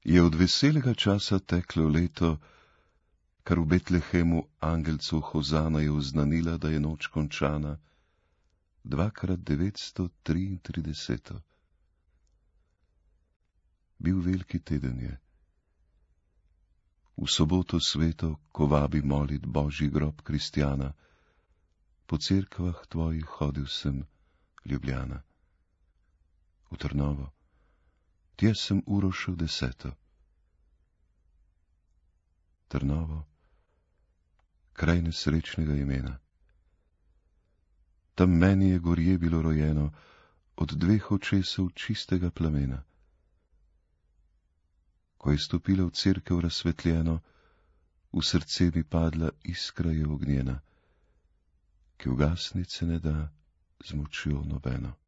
Je od veselega časa teklo leto, kar v Betlehemu angelcu Hozana je oznanila, da je noč končana, 2x933. Bil veliki teden je. V soboto sveto, ko vabi molit Božji grob kristjana, po cerkvah tvojih hodil sem, Ljubljana. V Trnovo, tja sem uro šel 10. Trnovo, kraj nesrečnega imena. Tam meni je gorje bilo rojeno, od 2 očesov čistega plamena. Ko je stopila v cerkev razsvetljeno, v srce mi padla iskra je ognjena, ki ugasniti se ne da z močjo nobeno.